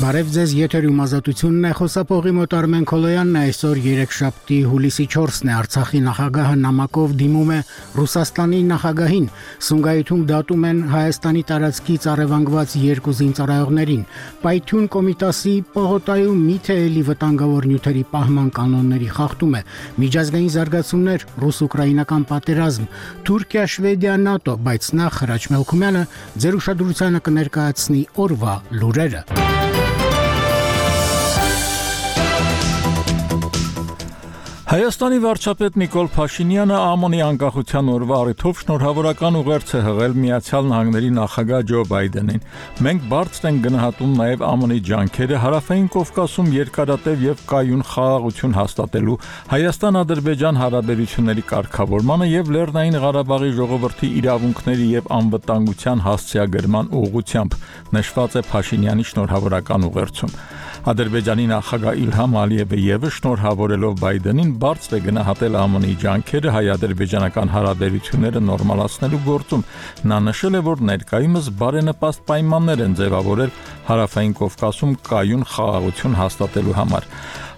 Բարև ձեզ, եթերում ազատությունն է, խոսափողի մոտ Արմեն Քոլոյանն է, այսօր երեքշաբթի հուլիսի 4-ն է, Արցախի նախագահը նամակով դիմում է Ռուսաստանի նախագահին, Սումգայիթում դատում են Հայաստանի տարածքից առևանգված 2 զինծառայողներին, Պայթյուն Կոմիտասի պողոտայում միթե էլի վտանգավոր նյութերի պահման կանոնների խախտում է, միջազգային զարգացումներ, ռուս-ուկրաինական պատերազմ, Թուրքիա, Շվեդիա, ՆԱՏՕ, բայց նախ Հրաչ Մելքումյանը ձեր ուշադրությանը կներկայացնի օրվա լուրերը։ Հայաստանի վարչապետ Նիկոլ Փաշինյանը ԱՄՆ-ի անկախության օրվա առիթով շնորհավորական ուղերձ է հղել Միացյալ Նահանգների նախագահ Ջո Բայդենին։ Մենք բարձր ենք գնահատում նաև ԱՄՆ-ի ջանքերը Հարավային Կովկասում երկարատև եւ կայուն խաղաղություն հաստատելու, Հայաստան-Ադրբեջան հարաբերությունների կարգավորմանը եւ Լեռնային Ղարաբաղի ժողովրդի իրավունքների եւ անվտանգության հասցեագրման ուղղությամբ, նշված է Փաշինյանի շնորհավորական ուղերձում։ Ադրբեջանի նախագահ Իլհամ Ալիևը եւս շնորհավորելով Բայդենին բարձր է գնահատել ԱՄՆ-ի ջանքերը հայ-ադրբեջանական հարաբերությունները նորմալացնելու գործում։ Նա նշել է, որ ներկայումս բարենպաստ պայմաններ են ձևավորել Հարավային Կովկասում կայուն խաղաղություն հաստատելու համար։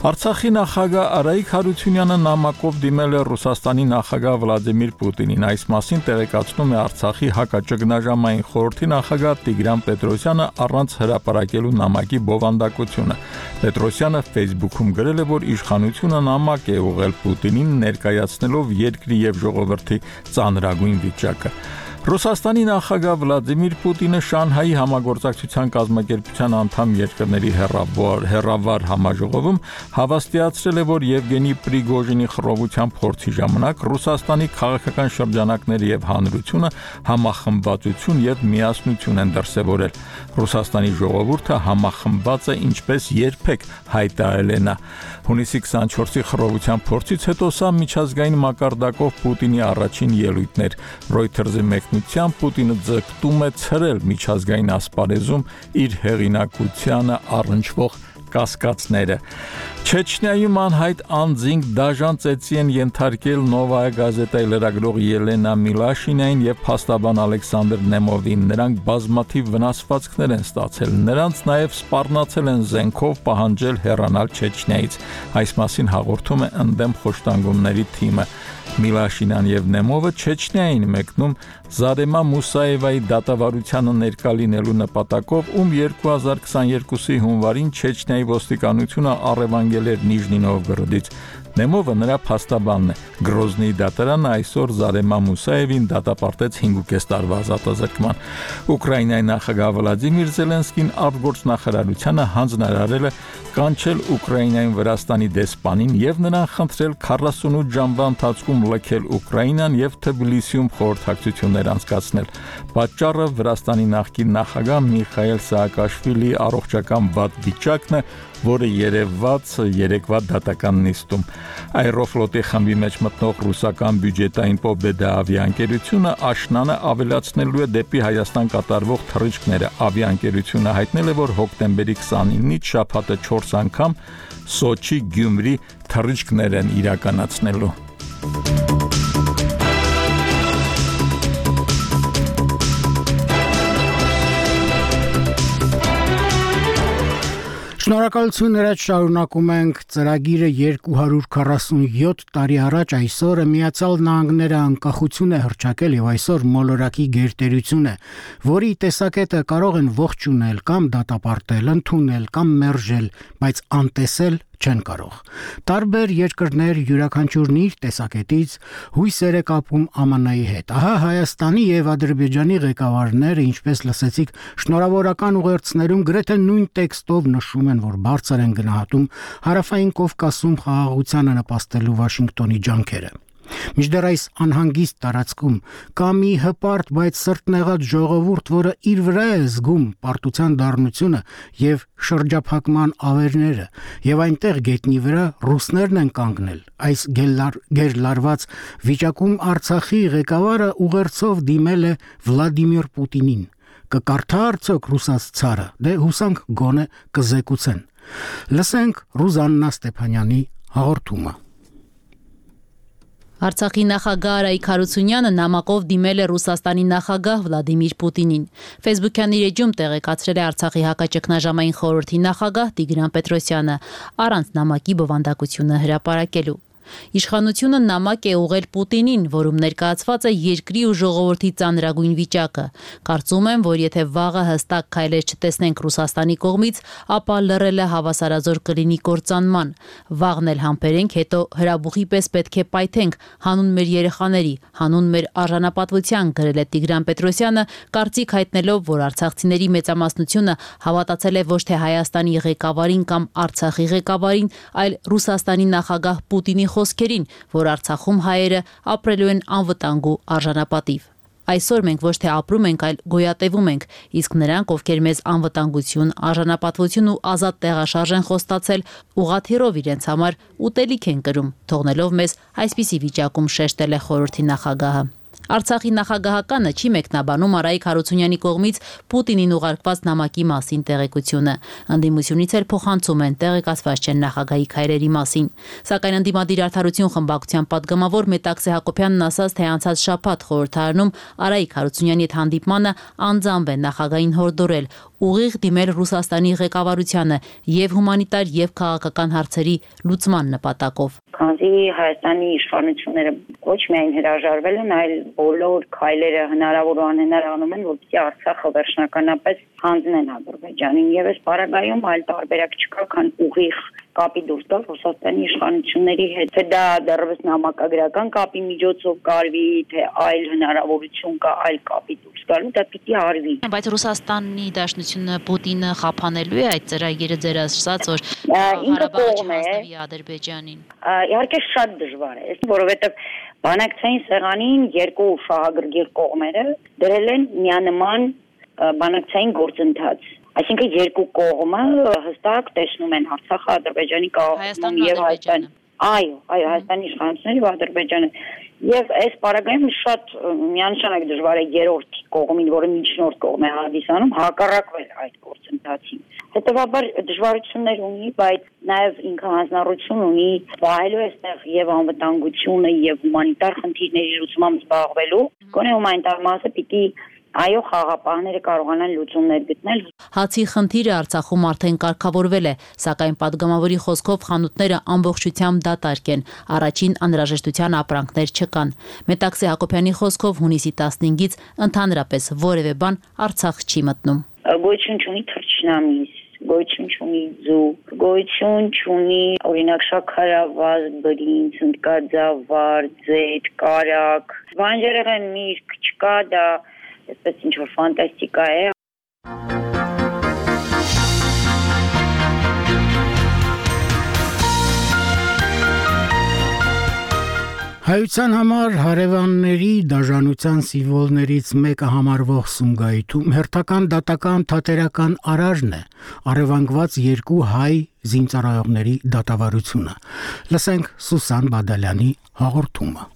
Արցախի նախագահ Արայիկ Հարությունյանը նամակով դիմել է Ռուսաստանի նախագահ Վլադիմիր Պուտինին։ Այս մասին տեղեկացնում է Արցախի հակաճգնաժամային խորհրդի նախագահ Տիգրան Պետրոսյանը առանց հրապարակելու նամակի բովանդակությունը։ Պետրոսյանը Facebook-ում գրել է, որ իշխանությունը նամակ է ուղղել Պուտինին, ներկայացնելով երկրի եւ ժողովրդի ծանրագույն վիճակը։ Ռուսաստանի նախագահ Վլադիմիր Պուտինը Շանհայի համագործակցության կազմակերպության անդամ երկրների հեռավար համաժողովում հավաստիացրել է, որ Եվգենի Պրիգոժինի խռովության փորձի ժամանակ Ռուսաստանի քաղաքական շրջանակները եւ հանրությունը համախմբվածություն եւ միասնություն են դրսեւորել։ Ռուսաստանի ժողովուրդը համախմբված է ինչպես երբեք, հայտարարել է նա։ Հունիսի 24-ի խռովության փորձից հետո սա միջազգային մակարդակով Պուտինի առաջին ելույթն էր։ Reuters-ի Պուտինը ձգտում է ցրել միջազգային ասպարեզում իր հեղինակությանը առնչվող կասկածները։ Չեչնիայում անհայտ անձինք դաժան ծեծի են ենթարկել Նովայա գազետայի լրագրող Ելենա Միլաշինային եւ փաստաբան Ալեքսանդր Նեմովին։ Նրանք բազմաթիվ վնասվածքներ են ստացել։ Նրանց նաեւ սպառնացել են զենքով պահանջել հեռանալ Չեչնիայից։ Այս մասին հաղորդում է ընդդեմ խոշտանգումների թիմը։ Միլաշինան եւ Նեմովը Չեչնիային մեկնում Զարեմա Մուսաևայի դատավարությանը ներկա լինելու նպատակով, ում 2022-ի հունվարին Չեչնիայի ոստիկանությունը առևանգել էր Նիժնի Նովգորոդից։ Նեմովը նրա փաստաբանն է։ Գրոզնիի դատարանը այսօր Զարեմա Մուսաևին դատապարտեց 5.5 տարվա ազատազրկման։ Ուկրաինայի նախագահ Վլադիմիր Զելենսկին արտգործնախարարությանը հանձնարարել է կանչել Ուկրաինայում Վրաստանի դեսպանին եւ նրան խնդրել 48 ժամվա ընթացքում լքել Ուկրաինան եւ Թբիլիսիում խորհրդակցություններ անցկացնել։ Պատճառը Վրաստանի նախկին նախագահ Միխայել Սաակաշվիլիի առողջական վատ վիճակն է, որը երևաց երեկվա դատական նիստում։ Aeroflot-ի խմբի մեջ մտնող ռուսական բյուջետային Pobeda ավիաընկերությունը աշնանը ավելացնելու է դեպի Հայաստան կատարվող թռիչքները։ Ավիաընկերությունը հայտնել է, որ հոկտեմբերի 29-ից շաբաթը 4 անգամ Սոչի Գյումրի թռիչքներ են իրականացնելու։ Շնորհակալություն, հրաչ շարունակում ենք ծրագիրը 247 տարի առաջ այսօրը Միացյալ Նահանգները անկախություն է հռչակել եւ այսօր մոլորակի գերտերություն է, որի տեսակետը կարող են ողջունել կամ դատապարտել, ընդունել կամ մերժել, բայց անտեսել չեն կարող։ Տարբեր երկրներ յուրաքանչյուրն իր տեսակետից հույսեր է կապում ԱՄՆ-ի հետ։ Ահա Հայաստանի եւ Ադրբեջանի ղեկավարները, ինչպես լսեցիք, շնորհավորական ուղերձներում գրեթե նույն տեքստով նշում են, որ բարձր են գնահատում Հարավային Կովկասում խաղաղությանը նպաստելու Վաշինգտոնի ջանքերը։ Մինչդեռ այս անհանգիստ տարածքում կա մի հպարտ, բայց սրտնեղած ժողովուրդ, որը իր վրա է զգում պարտության դառնությունը եւ շրջափակման ավերները, եւ այնտեղ գետնի վրա ռուսներն են կանգնել։ Այս գերլարված վիճակում Արցախի ղեկավարը ուղերձով դիմել է Վլադիմիր Պուտինին։ Կկարդա արդյոք ռուսաց ցարը։ Դե հուսանք գոնե կզեկուցեն։ Լսենք Ռուզաննա Ստեփանյանի հաղորդումը։ Արցախի նախագահ Արայիկ Հարությունյանը նամակով դիմել է Ռուսաստանի նախագահ Վլադիմիր Պուտինին։ Facebook-յան իր էջում տեղեկացրել է Արցախի հակաճգնաժամային խորհրդի նախագահ Տիգրան Պետրոսյանը առանց նամակի բովանդակությունը հրապարակելու։ Իշխանությունը նամակ է ուղղել Պուտինին, որում ներկայացված է երկրի ու ժողովրդի ծանրագույն վիճակը։ Կարծում եմ, որ եթե վաղը հստակ քայլեր չտեսնենք Ռուսաստանի կողմից, ապա լռելը հավասարազոր կլինի կործանման։ Վաղն էլ համբերենք, հետո հրաբուխի պես պետք է պայթենք հանուն մեր երեխաների, հանուն մեր արժանապատվության, գրել է Տիգրան Պետրոսյանը, կարծիք հայտնելով, որ արցախցիների մեծամասնությունը հավատացել է ոչ թե Հայաստանի ղեկավարին կամ Արցախի ղեկավարին, այլ Ռուսաստանի նախագահ Պուտինի խոսքերին, որ Արցախում հայերը ապրելու են անվտանգ ու արժանապատիվ։ Այսօր մենք ոչ թե ապրում ենք, այլ գոյատևում ենք, իսկ նրանք, ովքեր մեզ անվտանգություն, արժանապատվություն ու ազատ տեղաշարժ են խոստացել, ուղղաթիռով իրենց համար ուտելիք են կրում, թողնելով մեզ այսպիսի վիճակում, շեշտել է խորհրդի նախագահը։ Արցախի նախագահականը չի մեկնաբանում Արայիկ Հարությունյանի կողմից Պուտինին ուղարկված նամակի մասին տեղեկությունը։ Ընդդիմությունից էլ փոխանցում են, տեղեկացված չեն նախագահի քայլերի մասին։ Սակայն ընդդիմադիր Արդարություն խմբակցության պատգամավոր Մետաքսե Հակոբյանն ասաց, թե անցած շաբաթ խորհրդարանում Արայիկ Հարությունյանի հետ հանդիպմանը անձամբ է նախագահին հորդորել ուղիղ դիմել Ռուսաստանի ղեկավարությանը եւ հումանիտար եւ քաղաքական հարցերի լուծման նպատակով։ Քանզի Հայաստանի իշխանությունները ոչ միայն հրաժարվել են, այլ բոլոր քայլերը հնարավոր ու անհնար անում են, որպեսզի Արցախը վերջնականապես հանձնեն Ադրբեջանին, եւ այս պարագայում այլ տարբերակ չկա, քան ուղիղ կապի դուրս գալ Ռուսաստանի իշխանությունների հետ, թե դա դեռևս նամակագրական կապի միջոցով կարվի, թե այլ հնարավորություն կա այլ կապի դուրս գալու, դա պիտի արվի։ Բայց Ռուսաստանի Դաշնությունը Պուտինը խափանելու է այդ ծրագիրը ձեր ասած, որ ինքը կողմ է Ադրբեջանին։ Իհարկե շատ դժվար է, որովհետև բանակցային սեղանին երկու շահագրգիռ կողմերը դրել են միանման բանակցային գործընթաց։ Այսինքն երկու կողմը հստակ տեսնում են Արցախը, Ադրբեջանի կառավարումը եւ Հայաստանը։ Այո, Հայաստանի իշխանությունները եւ Ադրբեջանը։ Եվ այս պարագայում շատ միանշանակ դժվար է երրորդ կողմին, որը միջնորդ կողմ է հանդիսանում, հակառակվել այդ գործընթացին։ Հետևաբար դժվարություններ ունի, բայց նաեւ ինքը հանձնառություն ունի վայելու այստեղ եւ անվտանգությունը եւ հումանիտար խնդիրների լուծմամբ զբաղվելու։ Գոնե հումանիտար մասը պիտի այո խաղապահները կարողանան լուծումներ գտնել։ Հացի խնդիրը Արցախում արդեն կարգավորվել է, սակայն պատգամավորի խոսքով խանութները ամբողջությամբ դատարկ են, առաջին անհրաժեշտության ապրանքներ չկան։ Մետաքսե Հակոբյանի խոսքով հունիսի 15-ից ընդհանրապես որևէ բան Արցախ չի մտնում։ Գոյություն չունի թռչնամիս, գոյություն չունի ձու, գոյություն չունի օրինակ շաքարավազ, բրինձ, ընկածավար, ձեթ, կարակ, բանջարեղեն միրգ չկա, դա այսպես ինչ-որ ֆանտաստիկա է։ Հայության համար հարևանների դաժանության սիմվոլներից մեկը համարվող Սումգայիթում հերթական դատական թատերական արարժն է, առևանգված երկու հայ զինծառայողների դատավարությունը։ Լսենք Սուսան Բադալյանի հաղորդումը։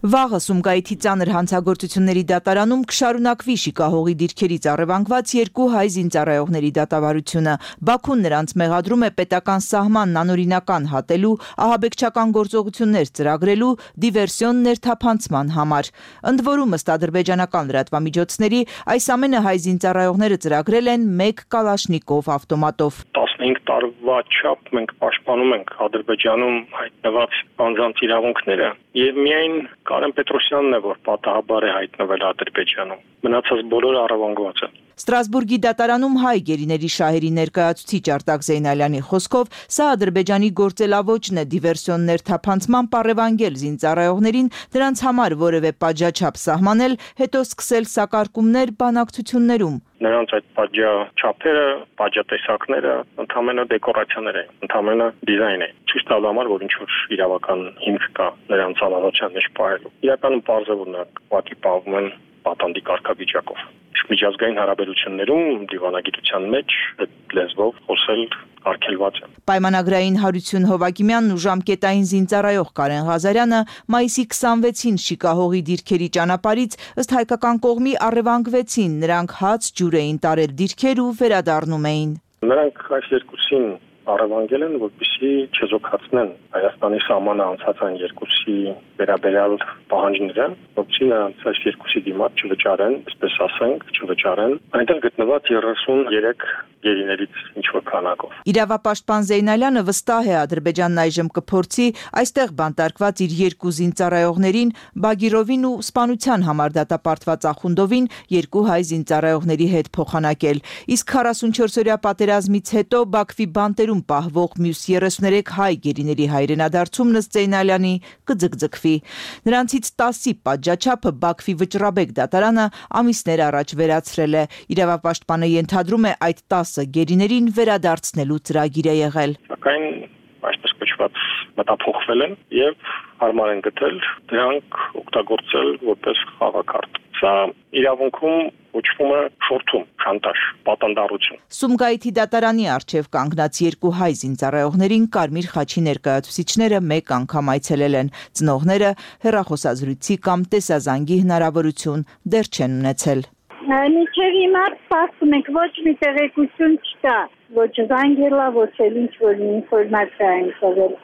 Վաղը Սումգայիթի ծանր հանցագործությունների դատարանում կշարունակվի շիկահողի դիրքերից առևանգված երկու հայ զինծառայողների դատավարությունը։ Բաքուն նրանց մեղադրում է պետական սահմանն անօրինական հատելու, ահաբեկչական գործողություններ ծրագրելու, դիվերսիոն ներթափանցման համար։ Ընդ որում, ըստ ադրբեջանական լրատվամիջոցների, այս ամենը հայ զինծառայողները ծրագրել են 1 կալաշնիկով ավտոմատով։ 15 տարվա չափ մենք պաշտպանում ենք Ադրբեջանում հայտնված անձանց իրավունքները եւ միայն Կարեն Պետրոսյանն է, որ պատահաբար է հայտնվել Ադրբեջանում։ Մնացած բոլորը առևանգված են։ Ստրասբուրգի դատարանում հայ գերիների շահերի ներկայացուցիչ Արտակ Զեյնալյանի խոսքով սա Ադրբեջանի գործելավոճն է դիվերսիոն ներթափանցման առևանգել զինծառայողներին, դրանց համար որևէ պատժաչափ սահմանել, հետո սկսել սակարկումներ բանակցություններում։ Նրանց այդ պատժաչափերը, պատժատեսակները ընդհանրապես դեկորացիաներ են, ընդհանրապես դիզայն է։ Ցույց տալու համար, որ ինչ որ իրավական հիմք կա նրանց անհավատության մեջ պահելու։ Իրականում պարզ է, որ նրանք ուղղակի պահվում են պատանդի կարգավիճակով։ Միջազգային հարաբերություններում դիվանագիտության մեջ այդ լեզվով խոսել արգելված է։ Պայմանագրային Հարություն Հովակիմյանն ու ժամկետային զինծառայող Կարեն Ղազարյանը մայիսի 26-ին շիկահողի դիրքերի ճանապարհից ըստ հայկական կողմի առևանգվեցին, նրանք հաց ջուր էին տարել դիրքեր ու վերադառնում էին։ Նրանք այս երկուսին առևանգել են, որպեսզի չեզոքացնեն Հայաստանի սահմանը անցած այն երկուսի վերաբերյալ պահանջները, որպեսզի նրանց այս երկուսի դիմաց չվճարեն, այսպես ասենք, չվճարեն այնտեղ գտնված 33 գերիներից ինչ-որ քանակով։ Իրավապաշտպան Զեյնալյանը վստահ է Ադրբեջանն այժմ կփորձի այստեղ բանտարկված իր երկու զինծառայողներին Բագիրովին ու սպանության համար դատապարտված Ախունդովին երկու հայ զինծառայողների հետ փոխանակել։ Իսկ 44-օրյա պատերազմից հետո Բաքվի բանտերում պահվող մյուս 33 հայ գերիների հայրենադարձումն ըստ Զեյնալյանի կձգձգվի։ Նրանցից 10-ի պատժաչափը Բաքվի վճռաբեկ դատարանը ամիսներ առաջ վերացրել է։ Իրավապաշտպանը ենթադրում է այդ 10 գերիներին վերադարձնելու ծրագիր է եղել։ Սակայն այսպես կոչված մտափոխվել են եւ հարմար են գտել դրանք օգտագործել որպես խաղակարդ։ Սա իրավունքում կոչվում է շորթում, շանտաժ, պատանդառություն։ Սումգայիթի դատարանի առջև կանգնած երկու հայ զինծառայողներին Կարմիր խաչի ներկայացուցիչները մեկ անգամ այցելել են։ Ծնողները հեռախոսազրույցի կամ տեսազանգի հնարավորություն դեռ չեն ունեցել։ Մինչև հիմա սպասում ենք, ոչ մի տեղեկություն չկա, ոչ զանգելա, ոչ էլ ինչ-որ ինֆորմացիա են տվել։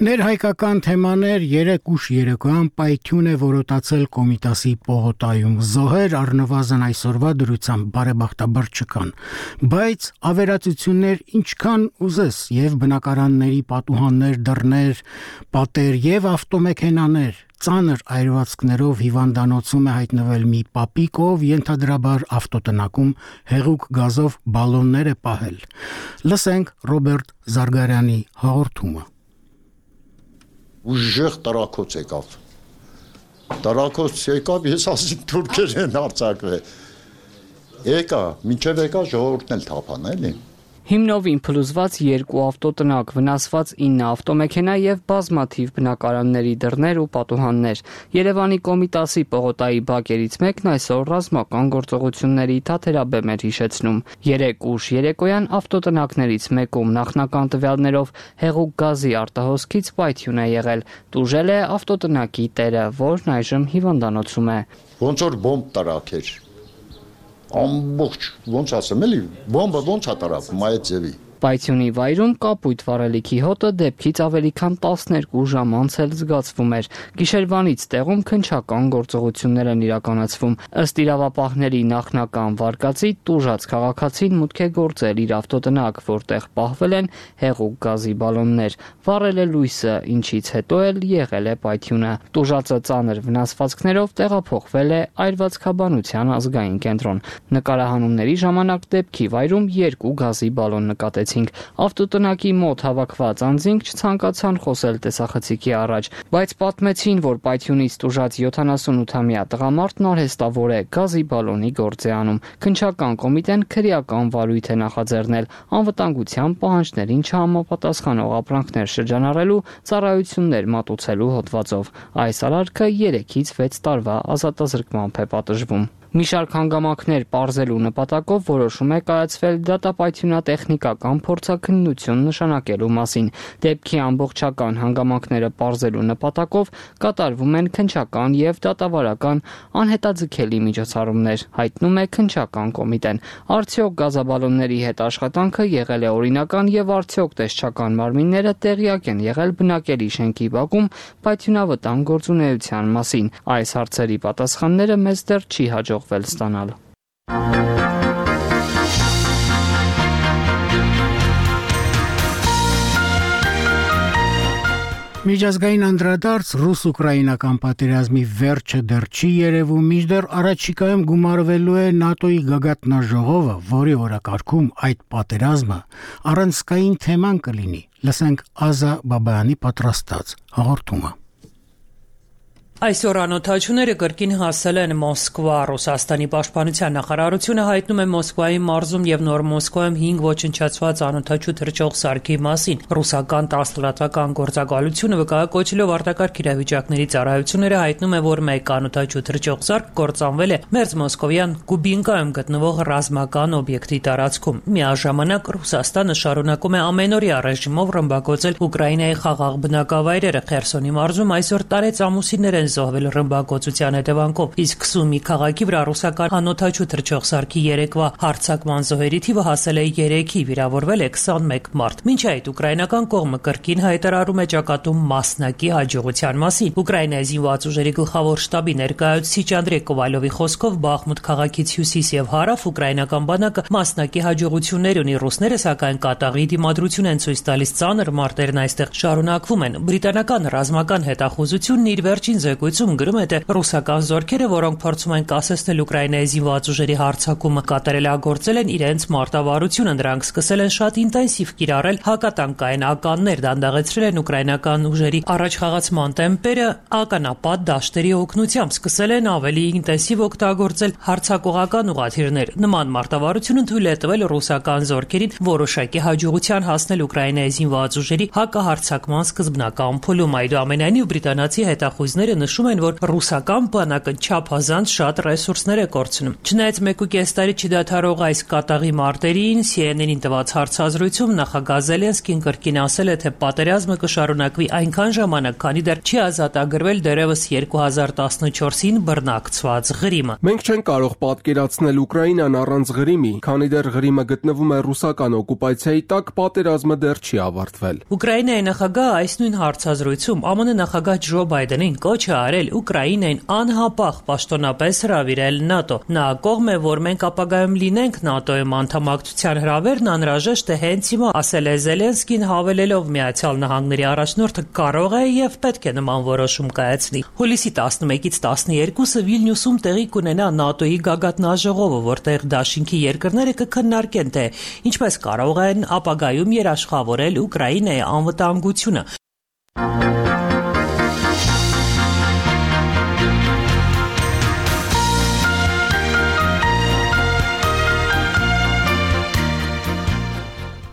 Ներհայկական թեմաներ 3 ուշ երեկոյան պայթյուն է որոտացել Կոմիտասի պողոտայում։ Զոհեր առնվազն այսօրվա դրությամբ բարեբախտաբար չկան, բայց ավերածություններ ինչքան ուզես եւ բնակարանների պատուհաններ, դռներ, պատեր եւ ավտոմեքենաներ ծանր այրվածքներով հիվանդանոցում է հայտնվել մի պապիկ, ով ենթադրաբար ավտոտնակում հեղուկ գազով բալոններ է պահել։ Լսենք Ռոբերտ Զարգարյանի հաղորդումը։ Ուժեղ տարակոց եկավ։ Տարակոց եկավ, ես ասի թուրքեր են արձակվել։ Եկա, մինչև եկա ժողովուրդն էլ թափան, էլի։ Հիմնովին փլուզված 2 ավտոտնակ, վնասված 9 ավտոմեքենա եւ բազմաթիվ բնակարանների դռներ ու պատուհաններ։ Երևանի Կոմիտասի պողոտայի բակերից մեկն այսօր ռազմական գործողությունների թաթերաբեմ էր հիշեցնում։ 3 ուշ երեկոյան ավտոտնակներից մեկում նախնական տվյալներով հեղուկ գազի արտահոսքից պայթյուն է եղել։ Տուժել է ավտոտնակի տերը, որն այժմ հիվանդանոցում է։ Ոնց որ բոմբ տարակեր։ Ամբողջ, ոնց ասեմ, էլի, բոմբը ոնց է տարածվում այդ ձևի։ Պայթյունի վայրում կապույտ վառելիքի հոտը դեպքից ավելի քան 12 ժամ անց էլ զգացվում էր։ Գիշերվանից տեղում քննչական գործողություններ են իրականացվում։ Ըստ իրավապահների նախնական վարկածի տուժած քաղաքացին մուտք է գործել իր ավտոտնակ, որտեղ պահվել են հեղուկ գազի բալոններ։ Վառել է լույսը, ինչից հետո էլ եղել է պայթյունը։ Տուժածը ծանր վնասվածքներով տեղափոխվել է այրվածքաբանության ազգային կենտրոն։ Նկարահանումների ժամանակ դեպքի վայրում 2 գազի բալոն նկատեցին։ Ավտոտնակի մոտ հավաքված անձինք չցանկացան խոսել տեսախցիկի առաջ, բայց պատմեցին, որ պայթյունից տուժած 78-ամյա տղամարդն արհեստավոր է, գազի բալոնի գործ է անում։ Քննչական կոմիտեն քրեական վարույթ է նախաձեռնել անվտանգության պահանջներին չհամապատասխանող ապրանքներ շրջանառելու, ծառայություններ մատուցելու հոդվածով։ Այս արարքը 3-ից 6 տարվա ազատազրկման է պատժվում։ Մի շարք հանգամանքներ պարզելու նպատակով որոշում է կայացվել դատապայթյունատեխնիկական փորձաքննություն նշանակելու մասին։ Դեպքի ամբողջական հանգամանքները պարզելու նպատակով կատարվում են քննչական եւ դատավարական անհետաձգելի միջոցառումներ, հայտնում է քննչական կոմիտեն։ Արդյոք գազաբալոնների հետ աշխատանքը եղել է օրինական եւ արդյոք տեսչական մարմինները տեղյակ են եղել բնակելի շենքի բակում պայթյունավտանգ գործունեության մասին։ Այս հարցերի պատասխանները մեզ դեռ չի հաջողվել ստանալ։ Միջազգային անդրադարձ ռուս-ուկրաինական պատերազմի վերջը դեռ չի երևում, մինչդեռ առաջիկայում գումարվելու է ՆԱՏՕ-ի գագաթնաժողովը, որի օրակարգում այդ պատերազմը առանցքային թեման կլինի։ Լսենք Ազա Բաբայանի պատրաստած հաղորդումը։ Այսօր անօթաչուները կրկին հասել են Մոսկվա։ Ռուսաստանի պաշտպանության նախարարությունը հայտնում է Մոսկվայի մարզում եւ Նոր Մոսկվայում 5 ոչնչացված անօթաչու թռչող սարքի մասին։ Ռուսական 10 լրատվական գործակալությունը վկայակոչելով արտակարգ իրավիճակների ծառայությունները հայտնում է, որ մեկ անօթաչու թռչող սարք կործանվել է մերձ մոսկովյան Կուբինկայում գտնվող ռազմական օբյեկտի տարածքում։ Միաժամանակ Ռուսաստանը շարունակում է ամենօրյա ռեժիմով ռմբակոծել Ուկրաինայի խաղաղ բնակավայրերը։ Խերսոնի մարզում այսօր տարեց ամուսիններ են զոհվել ռմբակոծության հետևանքով, իսկ Սումի քաղաքի վրա ռուսական անօթաչու թռչող սարքի երեկվա հարձակման զոհերի թիվը հասել է 3-ի, վիրավորվել է 21 մարդ։ Մինչ այդ ուկրաինական կողմը կրկին հայտարարում է ճակատում մասնակի հաջողության մասին։ Ուկրաինայի զինված ուժերի գլխավոր շտաբի ներկայացուցիչ Անդրեյ Կովալովի խոսքով Բախմուտ քաղաքից հյուսիս եւ հարավ ուկրաինական բանակը մասնակի հաջողություններ ունի, ռուսները սակայն կատաղի դիմադրություն են ցույց տալիս, ծանր մարտերն այստեղ շարունակվում են։ Բրիտանական ռազմական հետախուզությունն իր վերջին զեկույցում գրում է, թե ռուսական զորքերը, որոնք փորձում են կասեցնել Ուկրաինայի զինված ուժերի հարձակումը, կատարելագործել են իրենց մարտավարությունը։ Նրանք սկսել են շատ ինտենսիվ կիրառել հակատանկային ականներ, դանդաղեցրել են ուկրաինական ուժերի առաջխաղացման տեմպերը ականապատ դաշտերի օգնությամբ, սկսել են ավելի ինտենսիվ օգտագործել հարձակողական ուղղաթիռներ։ Նման մարտավարությունը թույլ է տվել ռուսական զորքերին որոշակի հաջողության հասնել Ուկրաինայի զինված ուժերի հակահարձակման սկզբնական փուլում։ Այնուամենայնիվ բրիտանացի հետախույզները նշում են, որ ռուսական բանակը չափազանց շատ ռեսուրսներ է կորցնում։ Չնայած 1.5 տարի չդադարող այս կատաղի մարտերին, CNN-ին տված հարցազրույցում նախագահ Զելենսկին կրկին ասել է, թե պատերազմը կշարունակվի այնքան ժամանակ, քանի դեռ չի ազատագրվել դեռևս 2014-ին բռնակցված Ղրիմը։ Մենք չենք կարող պատկերացնել Ուկրաինան առանց Ղրիմի, քանի դեռ Ղրիմը գտնվում է ռուսական օկուպացիայի տակ, պատերազմը դեռ չի ավարտվել։ Ուկրաինայի նախագահը այս նույն հարցազրույցում ԱՄՆ նախագահ Ջո Բայդենին կոչ է արել Ուկրաինային անհապաղ պաշտոնապես հրավիրել ՆԱՏՕ։ Նա կողմ է, որ մենք ապագայում լինենք ՆԱՏՕ-ում անդամակցության հրավերն անհրաժեշտ է հենց հիմա, ասել է Զելենսկին, հավելելով Միացյալ Նահանգների առաջնորդը կարող է եւ պետք է նման որոշում կայացնի։ Հուլիսի 11-ից 12-ը Վիլնյուսում տեղի կունենա ՆԱՏՕ-ի գագաթնաժողովը, որտեղ դաշինքի երկրները կքննարկեն, թե ինչպես կարող են ապագայում երաշխավորել Ուկրաինայի անվտանգությունը։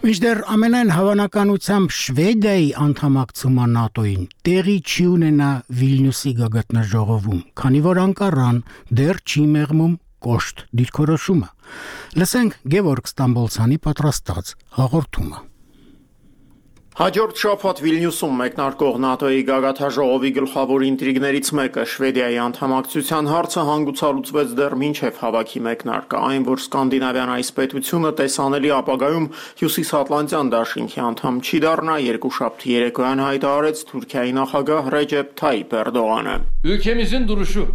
Մինչդեռ ամենայն հավանականությամբ Շվեդիայի անդամակցումը ՆԱՏՕ-ին տեղի չի ունենա Վիլնյուսի գագաթնաժողովում, քանի որ Անկարան դեռ չի մեղմում կոշտ դիրքորոշումը։ Լսենք Գևորգ Ստամբոլցյանի պատրաստած հաղորդումը։ Հաջորդ շաբաթ Վիլնյուսում մեկնարկող ՆԱՏՕ-ի գագաթնաժողովի գլխավոր ինտրիգներից մեկը Շվեդիայի անդամակցության հարցը հանգուցալուծվեց դեռ մինչև հավաքի մեկնարկը, այն որ սկանդինավյան այս պետությունը տեսանելի ապագայում Հյուսիսատլանտյան դաշինքի անդամ չի դառնա, երկուշաբթի երեկոյան հայտարարեց Թուրքիայի նախագահ Ռեջեփ Թայիփ Էրդողանը։ Ülkemizin duruşu,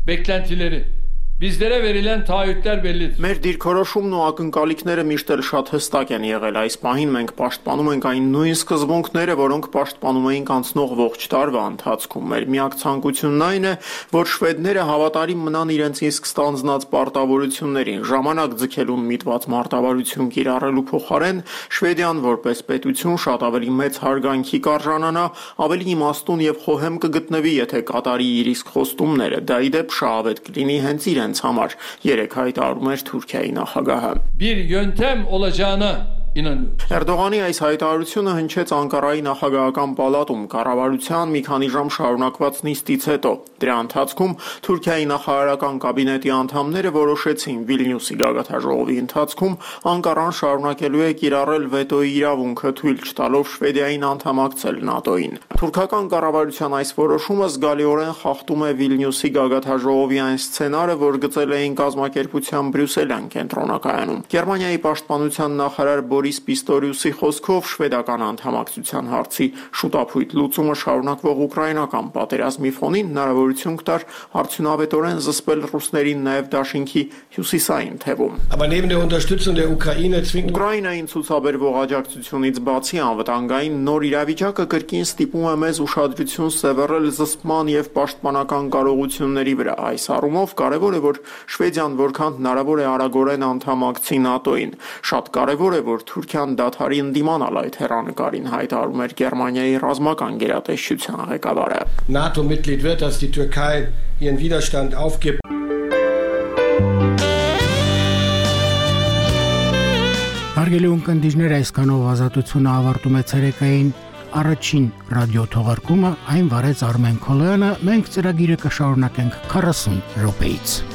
beklentileri Bizlərə verilən taahhütlər bellidir. Մեր դիրքորոշումն ու ակնկալիքները միշտ էլ շատ հստակ են եղել։ Այս պահին մենք պաշտպանում ենք այն նույն սկզբունքները, որոնք պաշտպանում էինք անցնող ողջ տարվա ընթացքում։ Մեր միակ ցանկությունն այն է, որ շվեդները հավատարիմ մնան իրենց իսկ ստանձնած պարտավորություններին, ժամանակ ձգելուն միտված մարտավարություն կիրառելու փոխարեն Շվեդիան որպես պետություն շատ ավելի մեծ հարգանքի կարժանանա, ավելի իմաստուն եւ խոհեմ կգտնվի, եթե կատարի իր իսկ խոստումները։ Դա ի դեպ շահավետ կլինի հենց իրենց համար, երեք հայտարարում էր Թուրքիայի նախագահը։ Bir yöntem olacağına Էրդողանի այս հայտարարությունը հնչեց Անկարայի նախագահական պալատում կառավարության մի քանի ժամ շարունակված նիստից հետո։ Դրա ընթացքում Թուրքիայի նախարարական կաբինետի անդամները որոշեցին Վիլնյուսի գագաթնաժողովի ընթացքում Անկարան շարունակելու է կիրառել վետոյի իրավունքը, թույլ չտալով Շվեդիային անդամակցել ՆԱՏՕ-ին։ Թուրքական կառավարության այս որոշումը զգալիորեն խախտում է Վիլնյուսի գագաթնաժողովի այն սցենարը, որ գծել էին կազմակերպության Բրյուսելյան կենտրոնակայանում։ Գերմանիայի պաշտպանության նախարար Բորիս Պիստորիուսի խոսքով շվեդական անդամակցության հարցի շուտափույթ լուծումը շարունակվող ուկրաինական պատերազմի ֆոնին հնարավորություն կտար արդյունավետորեն զսպել ռուսներին նաև դաշինքի հյուսիսային թևում։ Ուկրաինային ցուցաբերվող աջակցությունից բացի անվտանգային նոր իրավիճակը կրկին ստիպում է մեզ ուշադրություն սևեռել զսպման եւ պաշտպանական կարողությունների վրա։ Այս առումով կարևոր է, որ Շվեդիան որքան հնարավոր է արագորեն անդամակցի ՆԱՏՕ-ին։ Շատ կարևոր է, որ Թուրքիան դադարի ընդդիմանալ այդ հեռանկարին, հայտարարում էր Գերմանիայի ռազմական գերատեսչության ղեկավարը։ NATO-Mitglied wird, dass die Türkei ihren Widerstand aufgibt. Հարգելի ունկնդիրներ, այսքանով ազատությունը ավարտում է ցերեկային առաջին ռադիո թողարկումը, այն վարեց Արմեն Քոլոյանը, մենք ծրագիրը կշարունակենք 40 րոպեից։